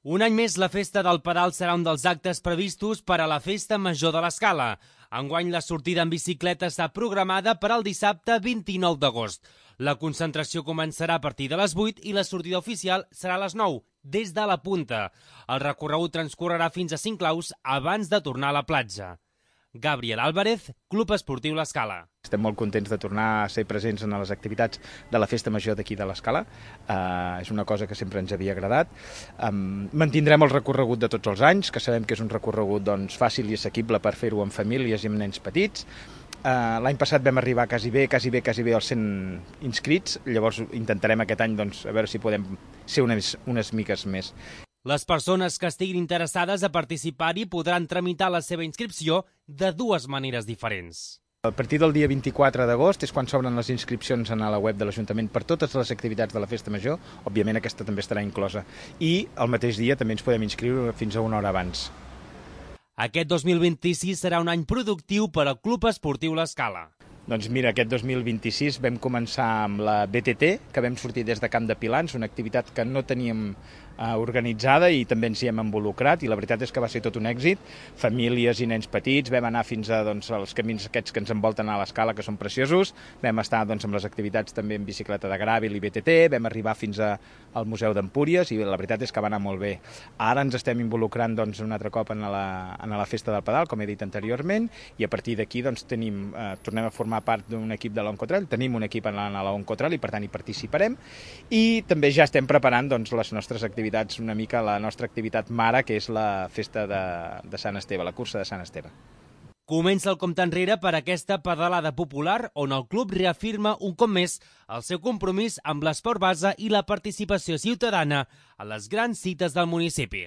Un any més, la Festa del Pedal serà un dels actes previstos per a la Festa Major de l'Escala. Enguany, la sortida en bicicleta està programada per al dissabte 29 d'agost. La concentració començarà a partir de les 8 i la sortida oficial serà a les 9, des de la punta. El recorregut transcorrerà fins a Cinclaus abans de tornar a la platja. Gabriel Álvarez, Club Esportiu l'Escala. Estem molt contents de tornar a ser presents en les activitats de la Festa Major d'aquí de l'Escala. És una cosa que sempre ens havia agradat. Mantindrem el recorregut de tots els anys, que sabem que és un recorregut fàcil i assequible per fer-ho amb famílies i amb nens petits. L'any passat vam arribar quasi bé als 100 inscrits, llavors intentarem aquest any a veure si podem ser unes miques més. Les persones que estiguin interessades a participar-hi podran tramitar la seva inscripció de dues maneres diferents. A partir del dia 24 d'agost és quan s'obren les inscripcions a la web de l'Ajuntament per totes les activitats de la Festa Major, òbviament aquesta també estarà inclosa, i el mateix dia també ens podem inscriure fins a una hora abans. Aquest 2026 serà un any productiu per al Club Esportiu l'Escala. Doncs mira, aquest 2026 vam començar amb la BTT, que vam sortir des de Camp de Pilans, una activitat que no teníem organitzada i també ens hi hem involucrat, i la veritat és que va ser tot un èxit. Famílies i nens petits, vam anar fins als camins aquests que ens envolten a l'Escala, que són preciosos, vam estar amb les activitats també en bicicleta de gràvel i BTT, vam arribar fins al Museu d'Empúries i la veritat és que va anar molt bé. Ara ens estem involucrant un altre cop en la Festa del Pedal, com he dit anteriorment, i a partir d'aquí tornem a formar part d'un equip de l'Oncotrail, tenim un equip en la Oncotrail i per tant hi participarem, i també ja estem preparant les nostres activitats, una mica la nostra activitat mare, que és la Festa de Sant Esteve, la cursa de Sant Esteve. Comença el compte enrere per aquesta pedalada popular on el club reafirma un cop més el seu compromís amb l'esport base i la participació ciutadana a les grans cites del municipi.